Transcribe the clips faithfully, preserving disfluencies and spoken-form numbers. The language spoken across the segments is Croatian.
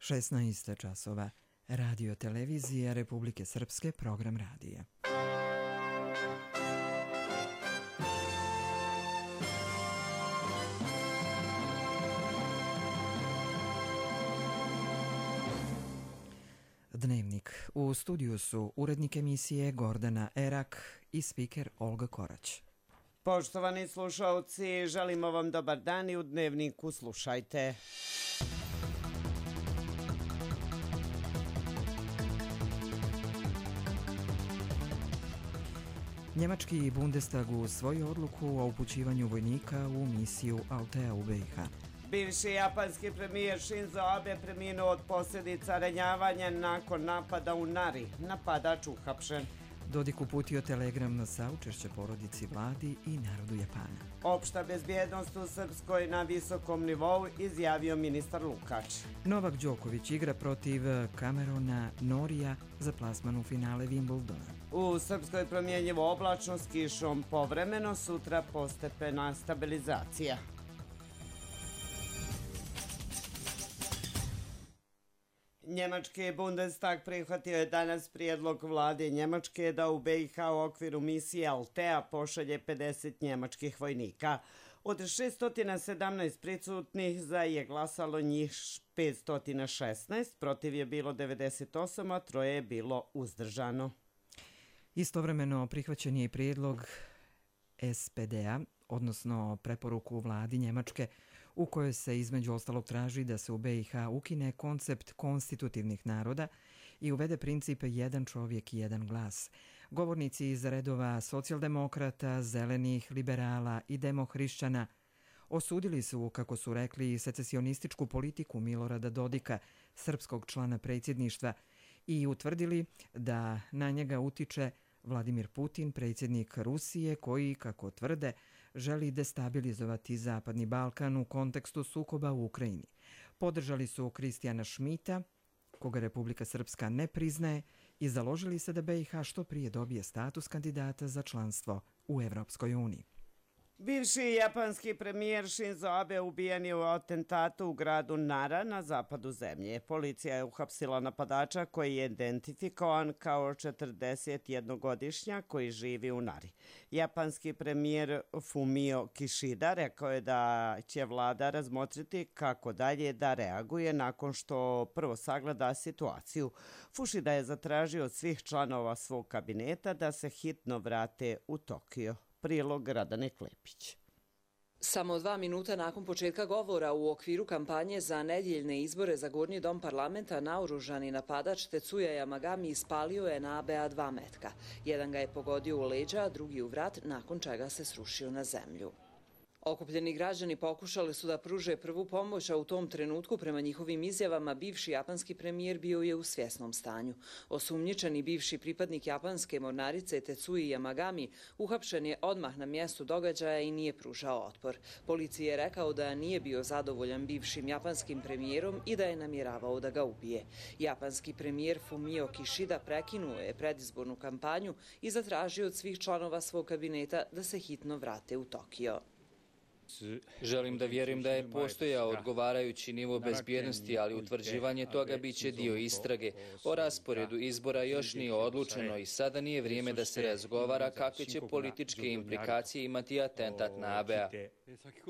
šesnaest časova. Radio televizija Republike Srpske, program radija. Dnevnik. U studiju su urednik emisije Gordana Erak i spiker Olga Korać. Poštovani slušalci, želimo vam dobar dan i u Dnevniku slušajte. Njemački Bundestag usvojio odluku o upućivanju vojnika u misiju Altea u B i H. Bivši japanski premijer Shinzo Abe preminuo od posljedica ranjavanja nakon napada u Nari. Napadač uhapšen. Dodik uputio telegram na saučešće porodici, vladi i narodu Japana. Opšta bezbjednost u Srpskoj na visokom nivou, izjavio ministar Lukač. Novak Đoković igra protiv Camerona Norija za plasman u finale Wimbledona. U Srpskoj promjenjivo oblačno s kišom povremeno, sutra postepena stabilizacija. Njemački Bundestag prihvatio je danas prijedlog vlade Njemačke da u B i H u okviru misije Altea pošalje pedeset njemačkih vojnika. Od šeststo sedamnaest prisutnih za je glasalo njih petsto šesnaest, protiv je bilo devedeset osam, a troje je bilo uzdržano. Istovremeno prihvaćen je i prijedlog S P D-a, odnosno preporuku vladi Njemačke, u kojoj se između ostalog traži da se u B i H ukine koncept konstitutivnih naroda i uvede princip jedan čovjek, jedan glas. Govornici iz redova socijaldemokrata, zelenih, liberala i demohrišćana osudili su, kako su rekli, secesionističku politiku Milorada Dodika, srpskog člana predsjedništva, i utvrdili da na njega utiče Vladimir Putin, predsjednik Rusije, koji, kako tvrde, želi destabilizovati Zapadni Balkan u kontekstu sukoba u Ukrajini. Podržali su Kristijana Šmita, koga Republika Srpska ne priznaje, i založili se da B i H što prije dobije status kandidata za članstvo u Evropskoj uniji. Bivši japanski premijer Shinzo Abe ubijen je u atentatu u gradu Nara na zapadu zemlje. Policija je uhapsila napadača koji je identifikovan kao četrdesetjednogodišnjak koji živi u Nari. Japanski premijer Fumio Kishida rekao je da će vlada razmotriti kako dalje da reaguje nakon što prvo sagleda situaciju. Fušida je zatražio od svih članova svog kabineta da se hitno vrate u Tokio. Prilog Radane Klepić. Samo dva minuta nakon početka govora u okviru kampanje za nedjeljne izbore za Gornji dom parlamenta, naoružani napadač Tetsuya Yamagami ispalio je na Abea dva metka. Jedan ga je pogodio u leđa, a drugi u vrat, nakon čega se srušio na zemlju. Okupljeni građani pokušali su da pruže prvu pomoć, a u tom trenutku, prema njihovim izjavama, bivši japanski premijer bio je u svjesnom stanju. Osumnjičeni bivši pripadnik japanske mornarice Tetsuya Yamagami uhapšen je odmah na mjestu događaja i nije pružao otpor. Policiji je rekao da nije bio zadovoljan bivšim japanskim premijerom i da je namjeravao da ga ubije. Japanski premijer Fumio Kishida prekinuo je predizbornu kampanju i zatražio od svih članova svog kabineta da se hitno vrate u Tokio. Želim da vjerujem da je postojao odgovarajući nivo bezbjednosti, ali utvrđivanje toga bit će dio istrage. O rasporedu izbora još nije odlučeno i sada nije vrijeme da se razgovara kakve će političke implikacije imati atentat na Abea.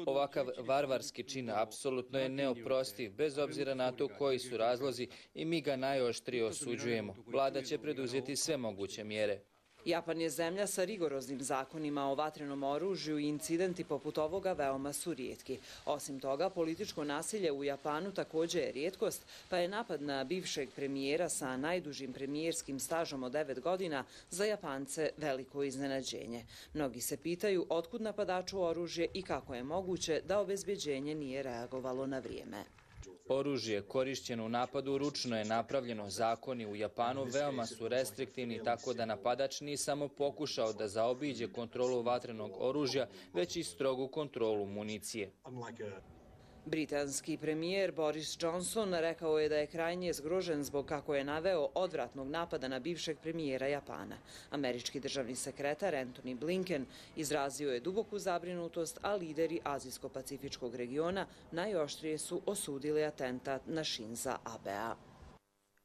Ovakav varvarski čin apsolutno je neoprostiv, bez obzira na to koji su razlozi, i mi ga najoštrije osuđujemo. Vlada će preduzeti sve moguće mjere. Japan je zemlja sa rigoroznim zakonima o vatrenom oružju i incidenti poput ovoga veoma su rijetki. Osim toga, političko nasilje u Japanu također je rijetkost, pa je napad na bivšeg premijera sa najdužim premijerskim stažom od devet godina za Japance veliko iznenađenje. Mnogi se pitaju otkud napadaču oružje i kako je moguće da obezbeđenje nije reagovalo na vrijeme. Oružje korišćeno u napadu ručno je napravljeno. Zakoni u Japanu veoma su restriktivni, tako da napadač nije samo pokušao da zaobiđe kontrolu vatrenog oružja, već i strogu kontrolu municije. Britanski premijer Boris Johnson rekao je da je krajnje zgrožen zbog, kako je naveo, odvratnog napada na bivšeg premijera Japana. Američki državni sekretar Antony Blinken izrazio je duboku zabrinutost, a lideri Azijsko-pacifičkog regiona najoštrije su osudili atentat na Shinza Abea.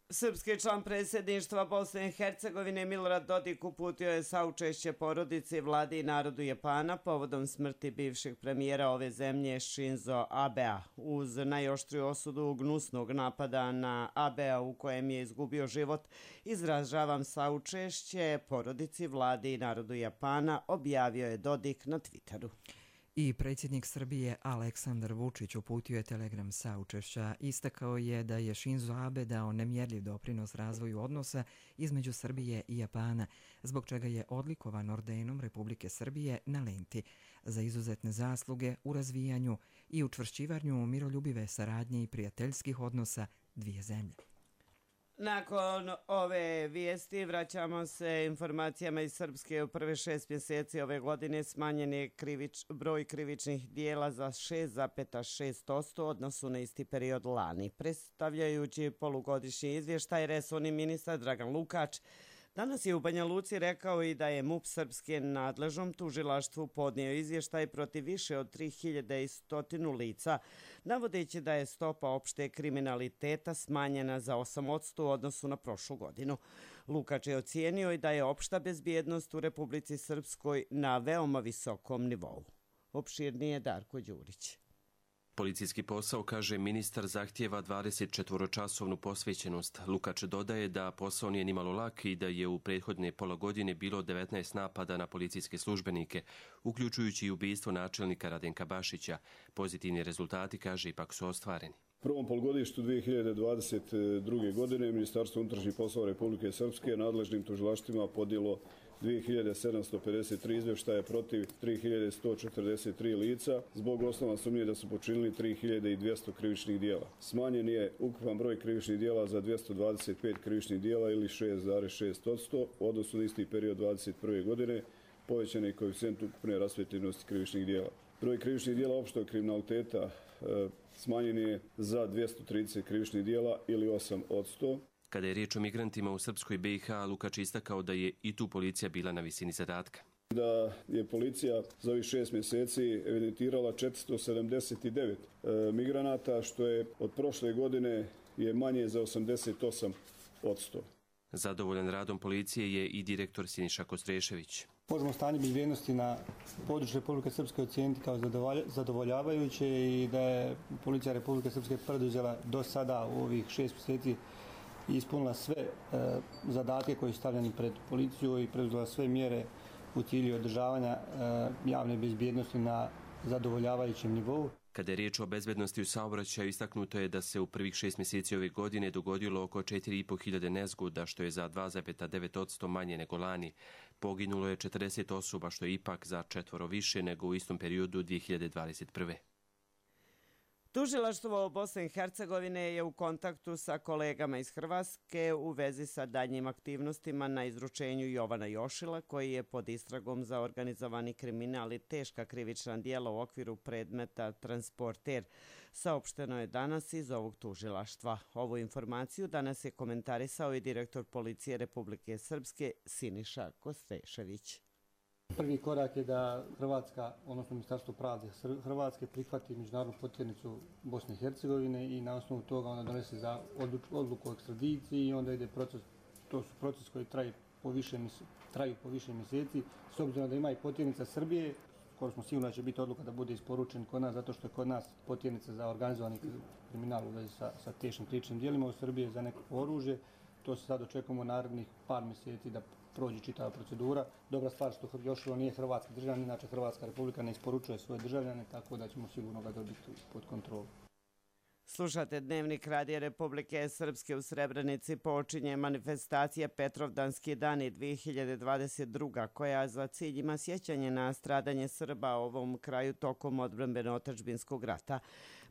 Srpski član predsjedništva Bosne i Hercegovine Milorad Dodik uputio je saučešće porodici, vladi i narodu Japana povodom smrti bivšeg premijera ove zemlje Shinzo Abea. Uz najoštriju osudu gnusnog napada na Abea u kojem je izgubio život, izražavam saučešće porodici, vladi i narodu Japana, objavio je Dodik na Twitteru. I predsjednik Srbije Aleksandar Vučić uputio je telegram saučešća. Istakao je da je Shinzo Abe dao nemjerljiv doprinos razvoju odnosa između Srbije i Japana, zbog čega je odlikovan ordenom Republike Srbije na lenti za izuzetne zasluge u razvijanju i učvršćivanju miroljubive saradnje i prijateljskih odnosa dvije zemlje. Nakon ove vijesti vraćamo se informacijama iz Srpske. U prve šest mjeseci ove godine smanjen je krivič, broj krivičnih dijela za šest zarez šest posto odnosu na isti period lani. Predstavljajući polugodišnji izvještaj, resorni ministar Dragan Lukač danas je u Banja Luci rekao i da je MUP Srpske nadležnom tužilaštvu podnio izvještaj protiv više od tri hiljade sto lica, navodeći da je stopa opšte kriminaliteta smanjena za osam posto u odnosu na prošlu godinu. Lukač je ocijenio i da je opšta bezbjednost u Republici Srpskoj na veoma visokom nivou. Opširnije Darko Đurić. Policijski posao, kaže ministar, zahtijeva dvadesetčetvoročasovnu posvećenost. Lukač dodaje da posao nije nimalo lak i da je u prethodne pola godine bilo devetnaest napada na policijske službenike, uključujući i ubistvo načelnika Radenka Bašića. Pozitivni rezultati, kaže, ipak su ostvareni. U prvom polugodištu dvije hiljade dvadeset druge. godine Ministarstvo unutrašnjih poslova Republike Srpske nadležnim tužilaštvima podnijelo dvije hiljade sedamsto pedeset tri izvještaja protiv tri hiljade sto četrdeset tri lica zbog osnova sumnje da su počinili tri hiljade dvjesto krivičnih dijela. Smanjen je ukupan broj krivičnih dijela za dvjesto dvadeset pet krivičnih dijela ili šest zarez šest posto u odnosu na isti period dvadeset prve. godine, povećan je koeficijent ukupne rasvijetljenosti krivičnih dijela. Broj krivičnih dijela opštog kriminaliteta e, smanjen je za dvjesto trideset krivičnih dijela ili osam posto. Kada je riječ o migrantima u Srpskoj B i H, Lukač istakao da je i tu policija bila na visini zadatka. Da je policija za ovih šest mjeseci evidentirala četiristo sedamdeset devet e, migranata, što je od prošle godine je manje za osamdeset osam posto. Zadovoljan radom policije je i direktor Siniša Kostrešević. Možemo stanje bezbjednosti na području Republike Srpske ocijeniti kao zadovoljavajuće i da je policija Republike Srpske preduzela do sada u ovih šest mjeseci i ispunila sve e, zadatke koji su stavljeni pred policiju i preduzela sve mjere u cilju održavanja e, javne bezbjednosti na zadovoljavajućem nivou. Kada je riječ o bezbednosti u saobraćaju, istaknuto je da se u prvih šest mjeseci ove godine dogodilo oko četiri i po hiljade nezgoda, što je za dva zarez devet posto manje nego lani. Poginulo je četrdeset osoba, što je ipak za četvoro više nego u istom periodu dvije hiljade dvadeset prve. Tužilaštvo Bosne i Hercegovine je u kontaktu sa kolegama iz Hrvatske u vezi sa daljnjim aktivnostima na izručenju Jovana Jošila, koji je pod istragom za organizovani kriminal i teška krivična djela u okviru predmeta Transporter. Saopšteno je danas iz ovog tužilaštva. Ovu informaciju danas je komentarisao i direktor policije Republike Srpske Siniša Kostrešević. Prvi korak je da Hrvatska, odnosno Ministarstvo pravde Hrvatske, prihvati međunarodnu potjernicu Bosne i Hercegovine i na osnovu toga onda donese za odluku o ekstradiciji i onda ide proces, to su proces koji traju po više, traju po više mjeseci. S obzirom da ima i potjernica Srbije, skoro smo sigurno da će biti odluka da bude isporučen kod nas, zato što je kod nas potjernica za organizovani kriminal u vezi sa, sa teškim krivičnim djelima u Srbiji za neko oružje. To se sad očekujemo narednih par mjeseci da prođe čitava procedura. Dobra stvar što Jošilo nije hrvatski državljanin, inače Hrvatska republika ne isporučuje svoje državljane, tako da ćemo sigurno ga dobiti pod kontrolu. Slušate Dnevnik Radija Republike Srpske. U Srebrenici počinje manifestacija Petrovdanski dani dvije hiljade dvadeset druga. koja za cilj ima sjećanje na stradanje Srba u ovom kraju tokom odbrambeno-otadžbinskog rata.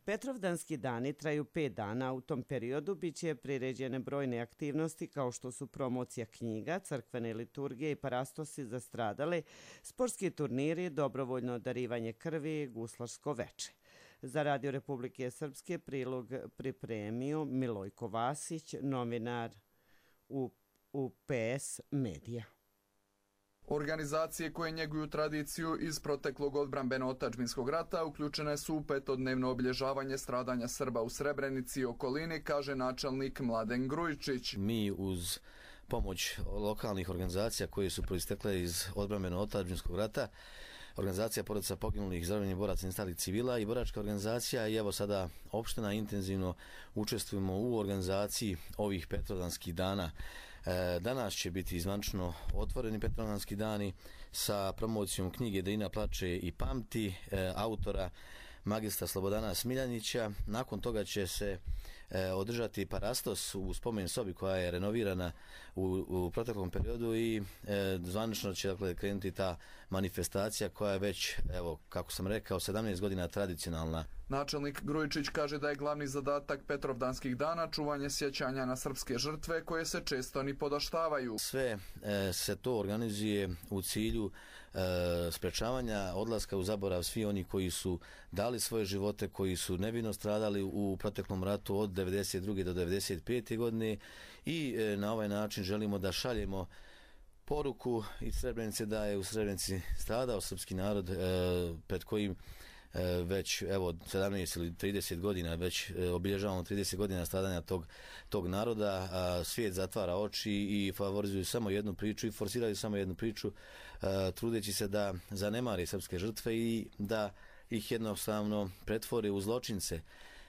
Petrovdanski dani traju pet dana. U tom periodu bit će priređene brojne aktivnosti kao što su promocija knjiga, crkvene liturgije i parastosi za stradale, sportski turniri, dobrovoljno darivanje krvi i guslarsko veče. Za Radio Republike Srpske prilog pripremio Milojko Vasić, novinar u, u P S Medija. Organizacije koje njeguju tradiciju iz proteklog odbrambeno-otadžbinskog rata uključene su u petodnevno obilježavanje stradanja Srba u Srebrenici i okolini, kaže načelnik Mladen Grujičić. Mi uz pomoć lokalnih organizacija koje su proistekle iz odbrambeno-otadžbinskog rata, organizacija porodica poginulih, zarobljenih boraca i nestalih civila i boračka organizacija i evo sada opština intenzivno učestvujemo u organizaciji ovih petrodanskih dana. Danas će biti zvanično otvoreni petrodanski dani sa promocijom knjige Drina plače i pamti autora magistra Slobodana Smiljanića. Nakon toga će se održati parastos u spomen sobi koja je renovirana u, u proteklom periodu i e, zvanično će dakle, krenuti ta manifestacija koja je već, evo, kako sam rekao, sedamnaest godina tradicionalna. Načelnik Grujičić kaže da je glavni zadatak Petrovdanskih dana čuvanje sjećanja na srpske žrtve koje se često ni podaštavaju. Sve e, se to organizuje u cilju e, sprečavanja odlaska u zaborav svi oni koji su dali svoje živote, koji su nevino stradali u proteklom ratu od devedeset druge do devedeset pete godine i e, na ovaj način želimo da šaljemo poruku iz Srebrenice da je u Srebrenici stradao srpski narod e, pred kojim već evo sedamnaest ili trideset godina već obilježavamo trideset godina stradanja tog, tog naroda, a svijet zatvara oči i favorizuju samo jednu priču i forsiraju samo jednu priču, a, trudeći se da zanemari srpske žrtve i da ih jednostavno pretvori u zločince.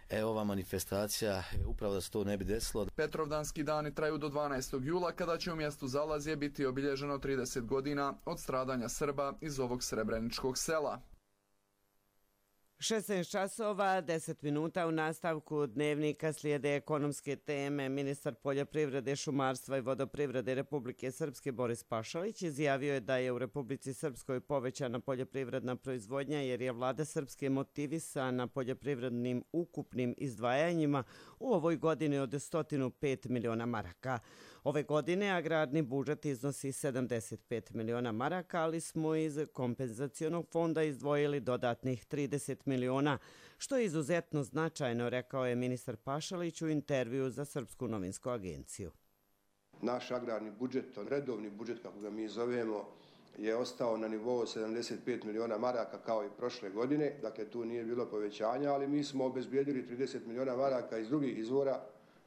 E, ova manifestacija je upravo da se to ne bi desilo. Petrovdanski dani traju do dvanaestog jula kada će u mjestu Zalazje biti obilježeno trideset godina od stradanja Srba iz ovog srebreničkog sela. šesnaest časova, deset minuta u nastavku dnevnika slijede ekonomske teme. Ministar poljoprivrede, šumarstva i vodoprivrede Republike Srpske Boris Pašalić izjavio je da je u Republici Srpskoj povećana poljoprivredna proizvodnja jer je vlada Srpske motivisana poljoprivrednim ukupnim izdvajanjima u ovoj godini od sto pet miliona maraka. Ove godine agrarni budžet iznosi sedamdeset pet miliona maraka, ali smo iz kompenzacionog fonda izdvojili dodatnih trideset miliona, što je izuzetno značajno, rekao je ministar Pašalić u intervju za Srpsku novinsku agenciju. Naš agrarni budžet, redovni budžet kako ga mi zovemo, je ostao na nivou sedamdeset pet miliona maraka kao i prošle godine, dakle tu nije bilo povećanja, ali mi smo obezbijedili trideset miliona maraka iz drugih izvora,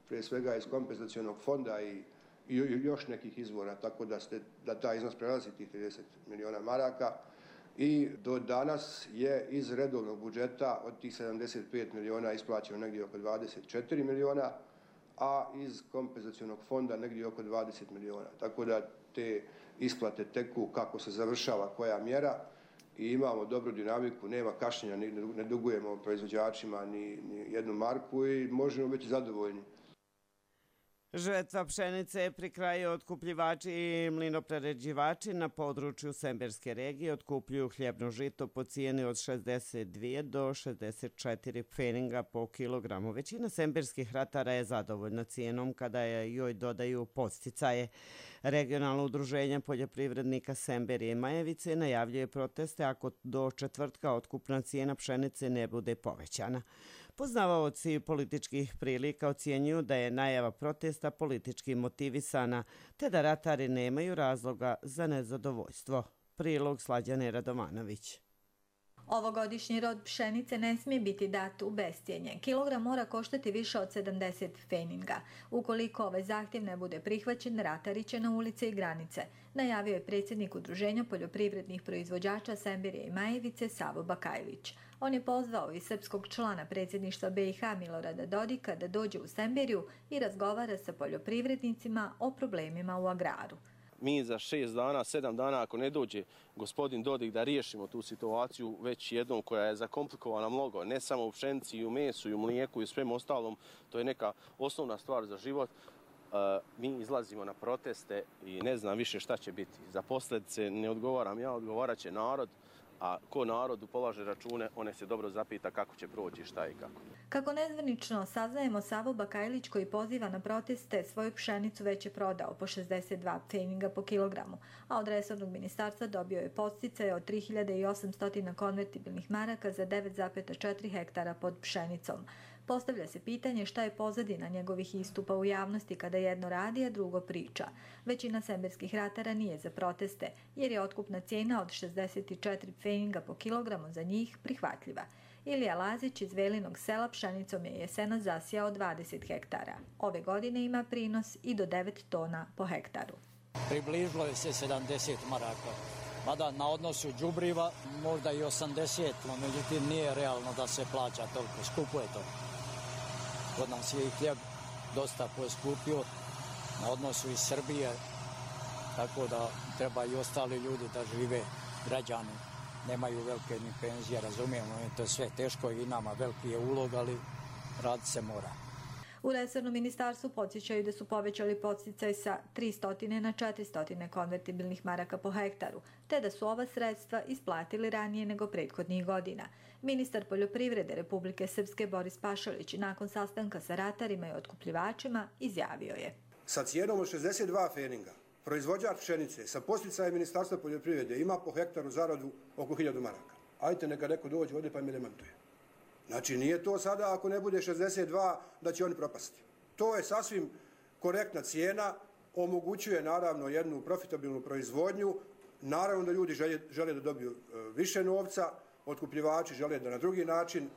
prije svega iz kompenzacionog fonda i i još nekih izvora, tako da, ste, da taj iznos prelazi tih trideset miliona maraka i do danas je iz redovnog budžeta od tih sedamdeset pet miliona isplaćeno negdje oko dvadeset četiri miliona, a iz kompenzacionog fonda negdje oko dvadeset miliona. Tako da te isplate teku kako se završava koja mjera i imamo dobru dinamiku, nema kašnjenja, ne dugujemo proizvođačima ni, ni jednu marku i možemo biti zadovoljni. Žetva pšenice pri kraju otkupljivači i mlinoprerađivači na području Semberske regije otkupljuju hljebno žito po cijeni od šezdeset dvije do šezdeset četiri pfeninga po kilogramu. Većina semberskih ratara je zadovoljna cijenom kada je joj dodaju podsticaje. Regionalno udruženje poljoprivrednika Semberije i Majevice najavljuje proteste ako do četvrtka otkupna cijena pšenice ne bude povećana. Poznavaoci političkih prilika ocjenjuju da je najava protesta politički motivisana, te da ratari nemaju razloga za nezadovoljstvo. Prilog Slađane Radovanović. Ovogodišnji rod pšenice ne smije biti dat u bescjenje. Kilogram mora koštati više od sedamdeset pfeninga. Ukoliko ovaj zahtjev ne bude prihvaćen, ratari će na ulice i granice, najavio je predsjednik Udruženja poljoprivrednih proizvođača Semberije i Majevice Savo Bakajlić. On je pozvao i srpskog člana predsjedništva B i H Milorada Dodika da dođe u Semberiju i razgovara sa poljoprivrednicima o problemima u agraru. Mi za šest dana, sedam dana, ako ne dođe gospodin Dodik da riješimo tu situaciju već jednom koja je zakomplikovana mnogo, ne samo u pšenici, i u mesu, i u mlijeku i u svem ostalom, to je neka osnovna stvar za život. Uh, mi izlazimo na proteste i ne znam više šta će biti. Za posljedice ne odgovaram ja, odgovarat će narod. a ko narodu polaže račune, one se dobro zapita kako će proći, šta i kako. Kako nezvanično saznajemo, Savo Bakajlić, koji poziva na proteste, svoju pšenicu već je prodao po šezdeset dva pfeninga po kilogramu, a od resornog ministarstva dobio je podsticaje od tri hiljade osamsto konvertibilnih maraka za devet zarez četiri hektara pod pšenicom. Postavlja se pitanje šta je pozadina njegovih istupa u javnosti kada jedno radi, a drugo priča. Većina semberskih ratara nije za proteste, jer je otkupna cijena od šezdeset četiri pfeninga po kilogramu za njih prihvatljiva. Ilija Lazić iz Velinog sela pšenicom je jesena zasijao dvadeset hektara. Ove godine ima prinos i do devet tona po hektaru. Približilo je se sedamdeset maraka. Mada na odnosu đubriva možda i osamdeset, no međutim nije realno da se plaća toliko, skupo je to. Kod nas je i hljeb dosta poskupio na odnosu iz Srbije, tako da treba i ostali ljudi da žive, građani. Nemaju velike ni penzije, razumijemo, to je sve teško i nama veliki je ulog, ali rad se mora. U resornom ministarstvu podsjećaju da su povećali podsticaj sa tristo na četiristo konvertibilnih maraka po hektaru, te da su ova sredstva isplatili ranije nego prethodnih godina. Ministar poljoprivrede Republike Srpske Boris Pašalić nakon sastanka sa ratarima i otkupljivačima izjavio je: Sa cijenom od šezdeset dva pfeninga proizvođač pšenice sa podsticajem Ministarstva poljoprivrede ima po hektaru zaradu oko hiljadu maraka. Ajte neka neko dođe ovdje pa mi demantuje. Znači nije to sada ako ne bude šezdeset dva da će oni propasti. To je sasvim korektna cijena, omogućuje naravno jednu profitabilnu proizvodnju, naravno da ljudi žele, žele da dobiju više novca, otkupljivači žele da na drugi način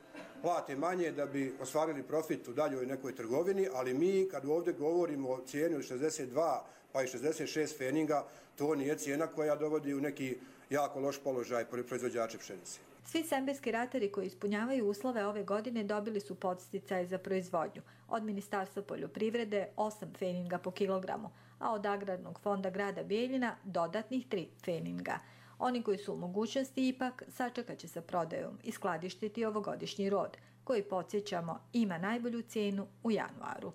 plate manje da bi ostvarili profit u daljoj nekoj trgovini, ali mi kad ovdje govorimo o cijeni od šezdeset dva pa i šezdeset šest pfeninga, to nije cijena koja dovodi u neki jako loš položaj proizvođače pšenice. Svi semberski ratari koji ispunjavaju uslove ove godine dobili su podsticaje za proizvodnju. Od Ministarstva poljoprivrede osam pfeninga po kilogramu, a od Agrarnog fonda grada Bijeljina dodatnih tri pfeninga. Oni koji su u mogućnosti ipak sačekat će sa prodajom i skladištiti ovogodišnji rod, koji, podsjećamo, ima najbolju cijenu u januaru.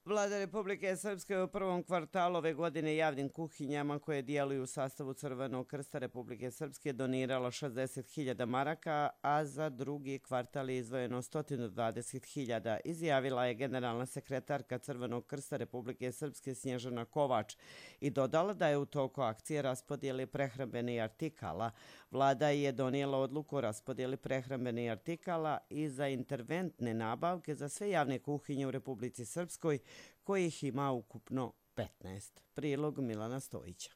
Vlada Republike Srpske u prvom kvartalu ove godine javnim kuhinjama koje djeluju u sastavu Crvenog krsta Republike Srpske doniralo šezdeset hiljada maraka, a za drugi kvartal je izdvojeno sto dvadeset hiljada, izjavila je generalna sekretarka Crvenog krsta Republike Srpske Snježana Kovač i dodala da je u toku akcije raspodjeli prehrambenih artikala. Vlada je donijela odluku o raspodjeli prehrambenih artikala i za interventne nabavke za sve javne kuhinje u Republici Srpskoj, kojih ima ukupno petnaest. Prilog Milana Stojića.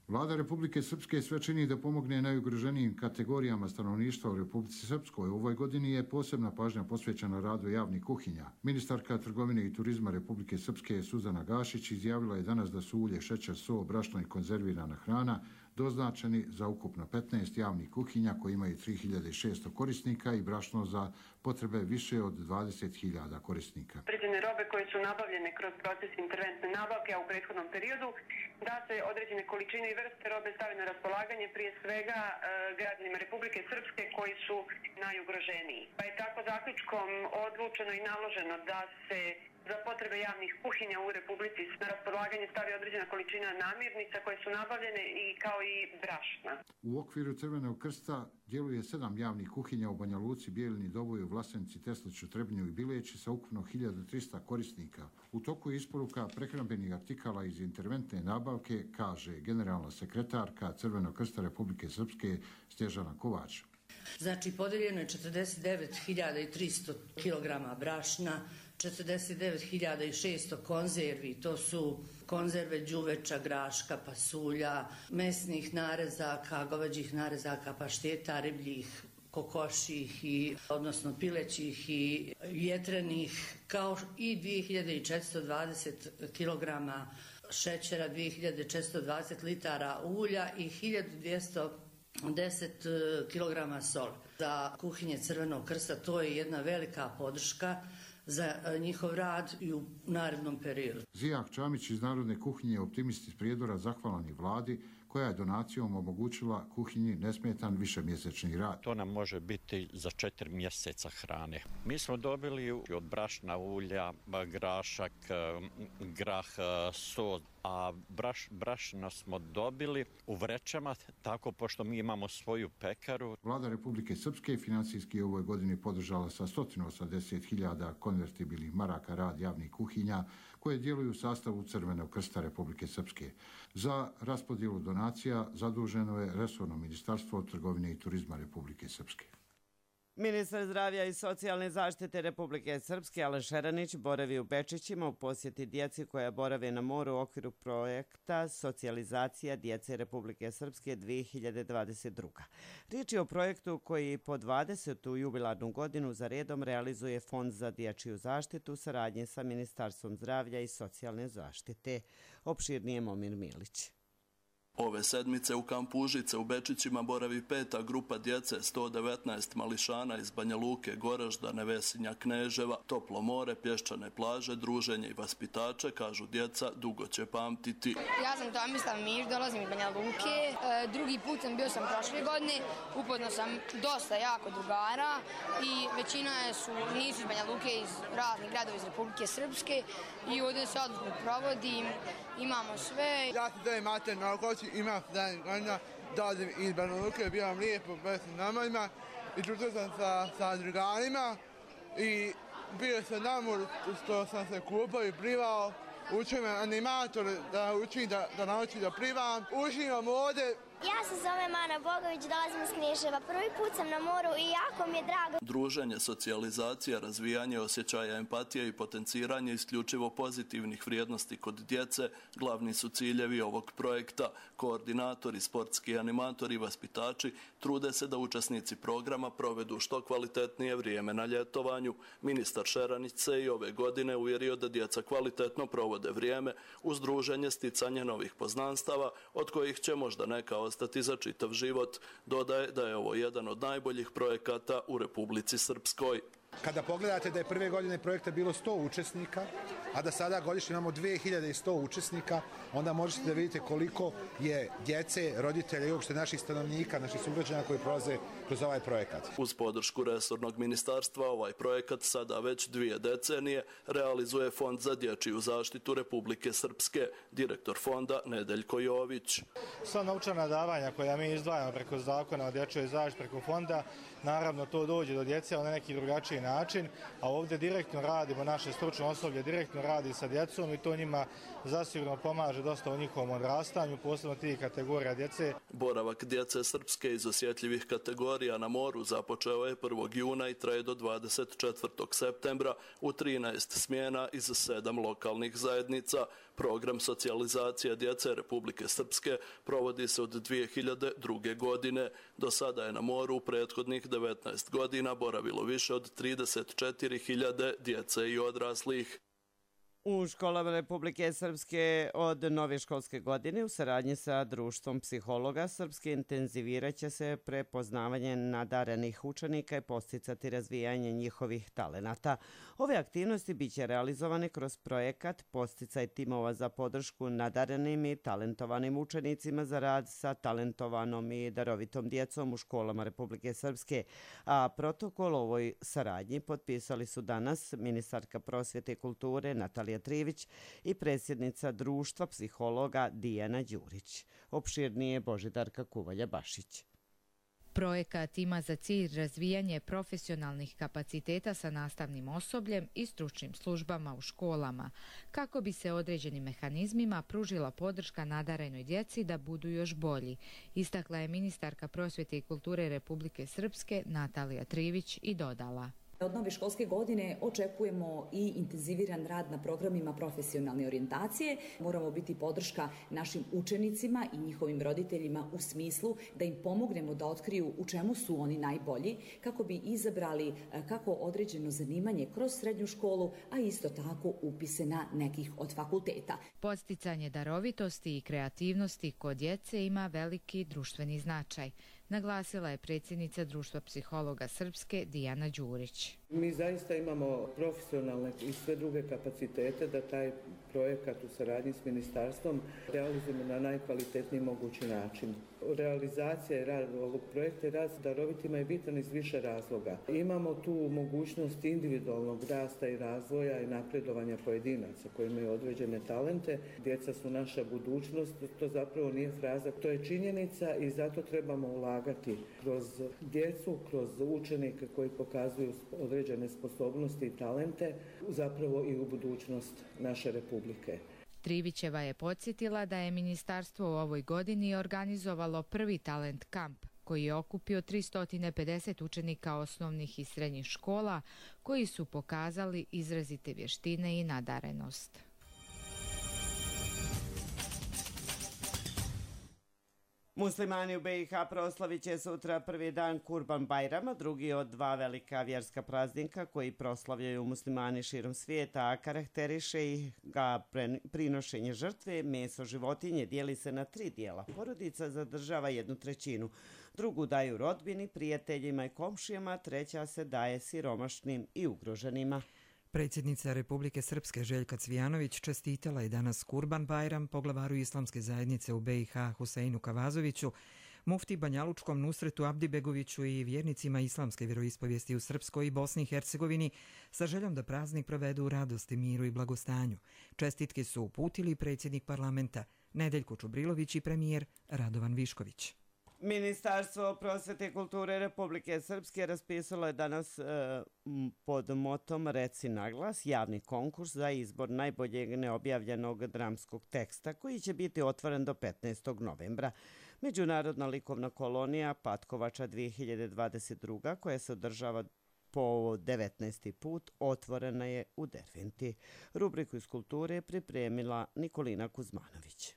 Vlada Republike Srpske sve čini da pomogne najugroženijim kategorijama stanovništva u Republici Srpskoj. U ovoj godini je posebna pažnja posvećena radu javnih kuhinja. Ministarka trgovine i turizma Republike Srpske Suzana Gašić izjavila je danas da su ulje, šećer, so, brašno i konzervirana hrana doznačeni za ukupno petnaest javnih kuhinja koji imaju tri hiljade šesto korisnika i brašno za potrebe više od dvadeset hiljada korisnika. Određene robe koje su nabavljene kroz proces interventne nabavke, a u prethodnom periodu, da se određene količine i vrste robe stave na raspolaganje prije svega e, građanima Republike Srpske koji su najugroženiji. Pa je tako zaključkom odlučeno i naloženo da se za potrebe javnih kuhinja u Republici na raspolaganje stavi određena količina namirnica koje su nabavljene i kao i brašna. U okviru Crvenog krsta djeluje sedam javnih kuhinja u Banja Luci, Bijeljini, Doboju, Vlasenci, Tesliću, Trebnju i Bileći sa ukupno hiljadu trista korisnika. U toku je isporuka prehrambenih artikala iz interventne nabavke, kaže generalna sekretarka Crvenog krsta Republike Srpske Snježana Kovač. Znači, podeljeno je četrdeset devet hiljada tristo kilograma brašna, četrdeset devet hiljada šesto konzervi, to su konzerve đuveča, graška, pasulja, mesnih narezaka, goveđih narezaka, pašteta, ribljih, kokoših, i, odnosno pilećih i jetrenih, kao i dvije hiljade četiristo dvadeset kilograma šećera, dvije hiljade četiristo dvadeset litara ulja i hiljadu dvjesto deset kilograma sol. Za kuhinje Crvenog krsta to je jedna velika podrška za njihov rad i u narednom periodu. Zijak Čamić iz Narodne kuhinje, optimist iz Prijedora, zahvalan je vladi koja je donacijom omogućila kuhinji nesmetan višemjesečni rad. To nam može biti za četiri mjeseca hrane. Mi smo dobili od brašna, ulja, grašak, grah, so, a braš, brašna smo dobili u vrećama, tako pošto mi imamo svoju pekaru. Vlada Republike Srpske financijski u ovoj godini podržala sa sto osamdeset hiljada konvertibilnih maraka rad javnih kuhinja koje djeluju u sastavu Crvenog krsta Republike Srpske. Za raspodjelu donacija zaduženo je resorno ministarstvo trgovine i turizma Republike Srpske. Ministar zdravlja i socijalne zaštite Republike Srpske Aleš Šeranić boravi u Bečićima u posjeti djeci koja borave na moru u okviru projekta Socijalizacija djece Republike Srpske dvije hiljade dvadeset druga. Riječ je o projektu koji po dvadesetu jubilarnu godinu za redom realizuje Fond za dječju zaštitu u saradnji sa Ministarstvom zdravlja i socijalne zaštite. Opširnije Momir Milić. Ove sedmice u kampu Užice u Bečićima boravi peta grupa djece, sto devetnaest mališana iz Banja Luke, Goražda, Nevesinja, Kneževa, toplo more, pješčane plaže, druženje i vaspitače, kažu djeca, dugo će pamtiti. Ja sam Tomislav Mir, dolazim iz Banja Luke. E, drugi put sam bio sam prošle godine, upoznao sam dosta jako drugara i većina su, nisu iz Banja Luke, iz raznih gradova iz Republike Srpske i ovdje se odlično provodim, imamo sve. Ja sam zove Mater Nogoći, imam sedamnaest godina, dolazim iz Banja Luke, bio vam lijepo bez namazima i čutio sam sa, sa drugarima i bio sam na moru što sam se kupao i plivao. Učio me animator da učim da, da nauči da plivam. Uživam ovdje. Ja se zovem Ana Bogović, dolazim iz Kneževa. Prvi put sam na moru i jako mi je drago. Druženje, socijalizacija, razvijanje osjećaja empatije i potenciranje isključivo pozitivnih vrijednosti kod djece glavni su ciljevi ovog projekta. Koordinatori, sportski animatori i vaspitači trude se da učesnici programa provedu što kvalitetnije vrijeme na ljetovanju. Ministar Šeranić se i ove godine uvjerio da djeca kvalitetno provode vrijeme uz druženje, sticanje novih poznanstava, od kojih će možda neka ostati za čitav život. Dodaje da je ovo jedan od najboljih projekata u Republici Srpskoj. Kada pogledate da je prve godine projekta bilo sto učesnika, a da sada godišnje imamo dvije hiljade sto učesnika, onda možete da vidite koliko je djece, roditelja i uopšte naših stanovnika, naših sugrađana koji prolaze kroz ovaj projekat. Uz podršku resornog ministarstva ovaj projekat sada već dvije decenije realizuje Fond za dječju zaštitu Republike Srpske, direktor fonda Nedeljko Jović. Sva novčana davanja koja mi izdvajamo preko zakona o dječjoj zaštiti preko fonda, naravno to dođe do djece na neki drugačiji način, a ovdje direktno radimo, naše stručno osoblje direktno radi sa djecom i to njima zasigurno pomaže dosta u njihovom odrastanju, posebno tih kategorija djece. Boravak djece srpske iz osjetljivih kategorija na moru započeo je prvog juna i traje do dvadeset četvrtog septembra u trinaest smjena iz sedam lokalnih zajednica. Program socijalizacije djece Republike Srpske provodi se od dvije hiljade druge. godine. Do sada je na moru u prethodnih devetnaest godina boravilo više od trideset četiri hiljade djece i odraslih. U školama Republike Srpske od nove školske godine u saradnji sa Društvom psihologa Srpske intenzivirat će se prepoznavanje nadarenih učenika i posticati razvijanje njihovih talenata. Ove aktivnosti biće realizovane kroz projekat Posticaj timova za podršku nadarenim i talentovanim učenicima za rad sa talentovanom i darovitom djecom u školama Republike Srpske, a protokol ovoj saradnji potpisali su danas ministarka prosvjete i kulture Natalija Trivić i predsjednica Društva psihologa Dijana Đurić. Opširnije Božidarka Kuvalja-Bašić. Projekat ima za cilj razvijanje profesionalnih kapaciteta sa nastavnim osobljem i stručnim službama u školama, kako bi se određenim mehanizmima pružila podrška nadarenoj djeci da budu još bolji, istakla je ministarka prosvjete i kulture Republike Srpske Natalija Trivić i dodala. Od nove školske godine očekujemo i intenziviran rad na programima profesionalne orijentacije. Moramo biti podrška našim učenicima i njihovim roditeljima u smislu da im pomognemo da otkriju u čemu su oni najbolji, kako bi izabrali kako određeno zanimanje kroz srednju školu, a isto tako upise na nekih od fakulteta. Podsticanje darovitosti i kreativnosti kod djece ima veliki društveni značaj, naglasila je predsjednica Društva psihologa Srpske Dijana Đurić. Mi zaista imamo profesionalne i sve druge kapacitete da taj projekat u saradnji s ministarstvom realizujemo na najkvalitetniji mogući način. Realizacija i rad ovog projekta i rad s darovitima je bitan iz više razloga. Imamo tu mogućnost individualnog rasta i razvoja i napredovanja pojedinaca koji imaju određene talente. Djeca su naša budućnost, to zapravo nije fraza, to je činjenica i zato trebamo ulagati kroz djecu, kroz učenike koji pokazuju određene sposobnosti i talente, zapravo i u budućnost naše Republike. Trivićeva je podsjetila da je ministarstvo u ovoj godini organizovalo prvi talent kamp koji je okupio tristo pedeset učenika osnovnih i srednjih škola koji su pokazali izrazite vještine i nadarenost. Muslimani u B i H proslavit će sutra prvi dan Kurban Bajrama, drugi od dva velika vjerska praznika koji proslavljaju muslimani širom svijeta, a karakteriše ih ga prinošenje žrtve. Meso životinje dijeli se na tri dijela. Porodica zadržava jednu trećinu, drugu daju rodbini, prijateljima i komšijama, treća se daje siromašnim i ugroženima. Predsjednica Republike Srpske Željka Cvijanović čestitala je danas Kurban Bajram poglavaru islamske zajednice u B i H Huseinu Kavazoviću, mufti Banjalučkom Nusretu Abdibegoviću i vjernicima islamske vjeroispovijesti u Srpskoj i Bosni i Hercegovini sa željom da praznik provedu u radosti, miru i blagostanju. Čestitke su uputili predsjednik parlamenta Nedeljko Čubrilović i premijer Radovan Višković. Ministarstvo prosvete i kulture Republike Srpske raspisalo je danas e, pod motom Reci naglas javni konkurs za izbor najboljeg neobjavljenog dramskog teksta koji će biti otvoren do petnaestog novembra. Međunarodna likovna kolonija Patkovača dvije hiljade dvadeset druga koja se održava po devetnaesti put otvorena je u Derventi. Rubriku iz kulture je pripremila Nikolina Kuzmanović.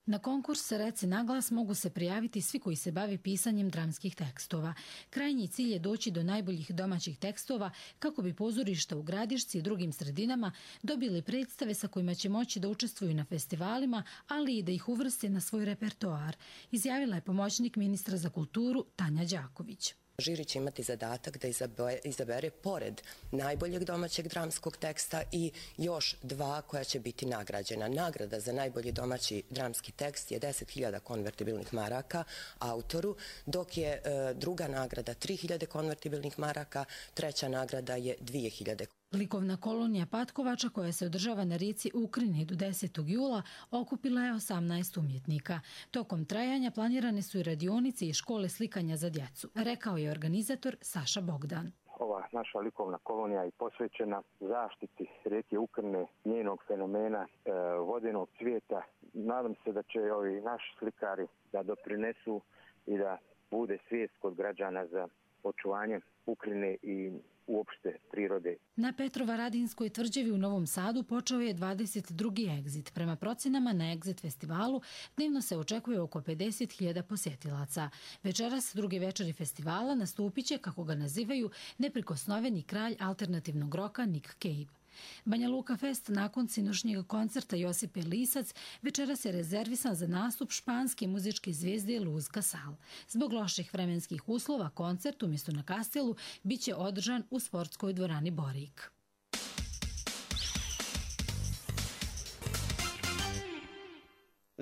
Na konkurs Reci naglas mogu se prijaviti svi koji se bavi pisanjem dramskih tekstova. Krajnji cilj je doći do najboljih domaćih tekstova kako bi pozorišta u Gradišci i drugim sredinama dobili predstave sa kojima će moći da učestvuju na festivalima, ali i da ih uvrste na svoj repertoar, izjavila je pomoćnik ministra za kulturu Tanja Đaković. Žiri će imati zadatak da izabere, izabere pored najboljeg domaćeg dramskog teksta i još dva koja će biti nagrađena. Nagrada za najbolji domaći dramski tekst je deset hiljada konvertibilnih maraka autoru, dok je e, druga nagrada tri hiljade konvertibilnih maraka, treća nagrada je dvije hiljade. Likovna kolonija Patkovača koja se održava na rijeci Ukrini do desetog jula okupila je osamnaest umjetnika. Tokom trajanja planirane su i radionice i škole slikanja za djecu, rekao je organizator Saša Bogdan. Ova naša likovna kolonija je posvećena zaštiti rijeke Ukrne, njenog fenomena e, vodenog cvijeta. Nadam se da će ovi naši slikari da doprinesu i da bude svijest kod građana za očuvanje Ukrine i uopšte prirode. Na Petrovaradinskoj tvrđavi u Novom Sadu počeo je dvadeset drugi egzit. Prema procenama na egzit festivalu dnevno se očekuje oko pedeset hiljada posjetilaca. Večeras drugi večeri festivala nastupit će, kako ga nazivaju, neprikosnoveni kralj alternativnog roka Nick Cave. Banja Luka Fest nakon sinošnjeg koncerta Josipe Lisac večeras je rezervisan za nastup španske muzičke zvijezde Luz Casal. Zbog loših vremenskih uslova koncert umjesto na Kastelu biće održan u sportskoj dvorani Borik.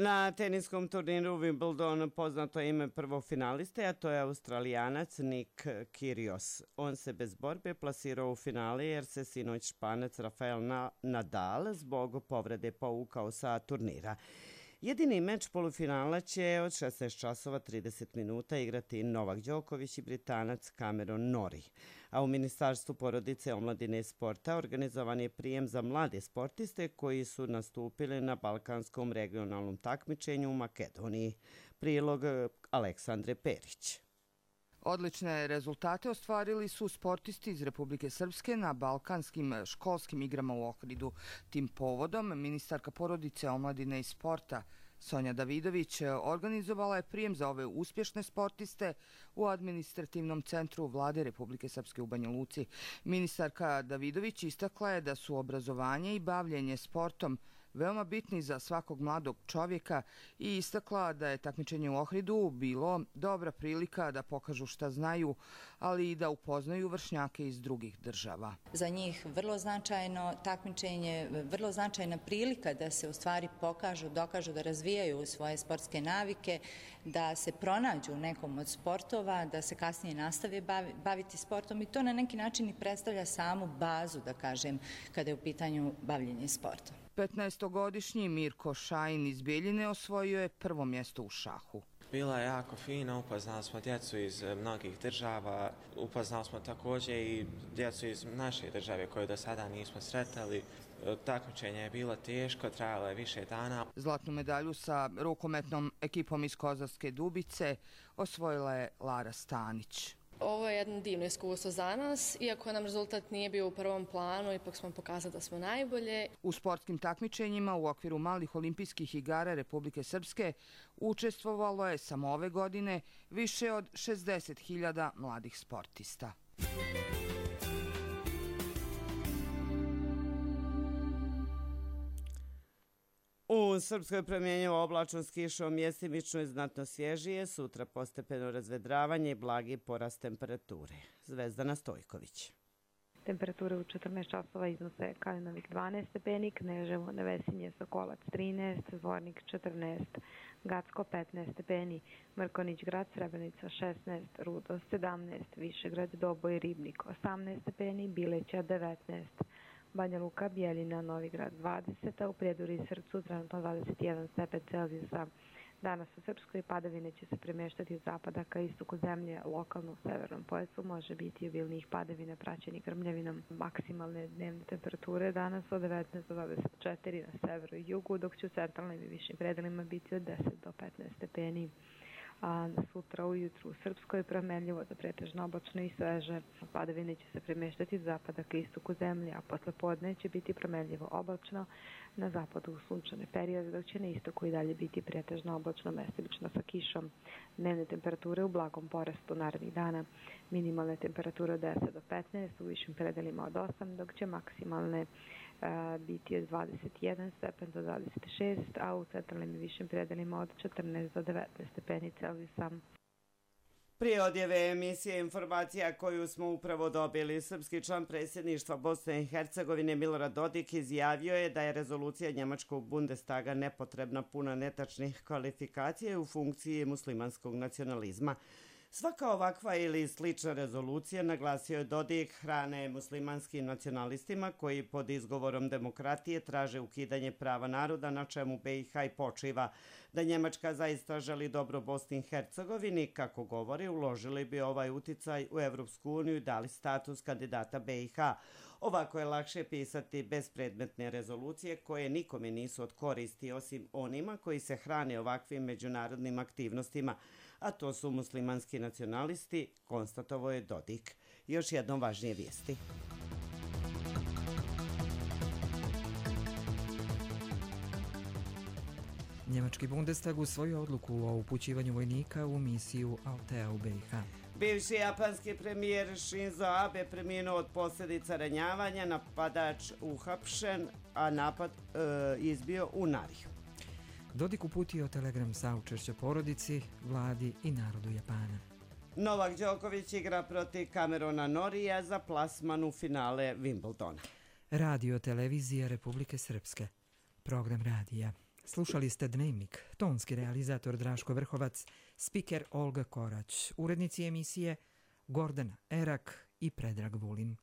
Na teniskom turniru Wimbledon poznato ime prvog finaliste, a to je Australijanac Nick Kyrgios. On se bez borbe plasirao u finale jer se sinoć Španac Rafael Nadal zbog povrede povukao sa turnira. Jedini meč polufinala će od šesnaest časova trideset minuta igrati Novak Đoković i Britanac Cameron Norrie. A u Ministarstvu porodice, omladine i sporta organizovan je prijem za mlade sportiste koji su nastupili na balkanskom regionalnom takmičenju u Makedoniji. Prilog Aleksandre Perić. Odlične rezultate ostvarili su sportisti iz Republike Srpske na balkanskim školskim igrama u Ohridu. Tim povodom ministarka porodice, omladine i sporta Sonja Davidović organizovala je prijem za ove uspješne sportiste u administrativnom centru Vlade Republike Srpske u Banja Luci. Ministarka Davidović istakla je da su obrazovanje i bavljenje sportom veoma bitni za svakog mladog čovjeka i istakla da je takmičenje u Ohridu bilo dobra prilika da pokažu šta znaju, ali i da upoznaju vršnjake iz drugih država. Za njih vrlo značajno takmičenje, vrlo značajna prilika da se u stvari pokažu, dokažu da razvijaju svoje sportske navike, da se pronađu u nekom od sportova, da se kasnije nastave baviti sportom i to na neki način i predstavlja samu bazu, da kažem, kada je u pitanju bavljenje sportom. petnaestogodišnji Mirko Šajin iz Bijeljine osvojio je prvo mjesto u šahu. Bila je jako fina, upoznali smo djecu iz mnogih država, upoznali smo također i djecu iz naše države koje do sada nismo sretali. Takmičenje je bilo teško, trajalo je više dana. Zlatnu medalju sa rukometnom ekipom iz Kozarske Dubice osvojila je Lara Stanić. Ovo je jedno divno iskustvo za nas, iako nam rezultat nije bio u prvom planu, ipak smo pokazali da smo najbolje. U sportskim takmičenjima u okviru malih olimpijskih igara Republike Srpske učestvovalo je samo ove godine više od šezdeset hiljada mladih sportista. U Srpskoj promjenjivo oblačno s kišom, mjestimično i znatno svježije, sutra postepeno razvedravanje i blagi porast temperature. Zvezdana Stojković. Temperature u četrnaest časova iznose Kalinovik dvanaest stepeni, Kneževo, Nevesinje, Sokolac trinaest, Zvornik četrnaest, Gacko petnaest stepeni, Mrkonić grad, Srebrenica šesnaest, Rudo sedamnaest, Višegrad, Doboj, Ribnik osamnaest stepeni, Bileća devetnaest, Banja Luka, Bijeljina, Novigrad dvadeset, a u Prijedori i Srpcu trenutno dvadeset jedan stepen Celzijusa. Danas u Srpskoj padavine će se premještati od zapada ka istoku zemlje, lokalno u severnom pojasu može biti obilnijih padavina praćenih grmljavinom. Maksimalne dnevne temperature danas od devetnaest do dvadeset četiri na severu i jugu, dok će u centralnim i višim predelima biti od deset do petnaest stepeni. A sutra ujutru u Srpskoj promenljivo do pretežno oblačno i sveže. Padavine će se premještati od zapada ka istoku zemlje, a posle podne će biti promenljivo oblačno, na zapadu u sunčane periode, dok će na istoku i dalje biti pretežno oblačno, mestimično sa kišom. Dnevne temperature u blagom porastu narednih dana. Minimalne temperature od deset do petnaest, u višim predelima od osam, dok će maksimalne biti od dvadeset jedan stepen do dvadeset šest, a u centralnim i višim predelima od četrnaest do devetnaest stepeni Celzijusa. Prije odjave emisije informacija koju smo upravo dobili, srpski član predsjedništva Bosne i Hercegovine Milorad Dodik izjavio je da je rezolucija njemačkog Bundestaga nepotrebna, puna netačnih kvalifikacija u funkciji muslimanskog nacionalizma. Svaka ovakva ili slična rezolucija, naglasio je Dodik, hrane muslimanskim nacionalistima koji pod izgovorom demokratije traže ukidanje prava naroda, na čemu B i H i počiva. Da Njemačka zaista želi dobro Bosni i Hercegovini, kako govori, uložili bi ovaj uticaj u Evropsku uniju i dali status kandidata B i H. Ovako je lakše pisati bezpredmetne rezolucije koje nikome nisu od koristi, osim onima koji se hrane ovakvim međunarodnim aktivnostima, a to su muslimanski nacionalisti, konstatovao je Dodik. Još jednom važnije vijesti. Njemački Bundestag usvojio odluku o upućivanju vojnika u misiju Altea u B i H. Bivši japanski premijer Shinzo Abe preminuo od posljedica ranjavanja, napadač uhapšen, a napad e, izbio u Nariju. Dodik uputio telegram saučešća porodici, vladi i narodu Japana. Novak Đoković igra protiv Camerona Norija za plasman u finale Wimbledona. Radio televizija Republike Srpske. Program radija. Slušali ste Dnevnik, tonski realizator Draško Vrhovac, spiker Olga Korać, urednici emisije Gordana Erak i Predrag Vulin.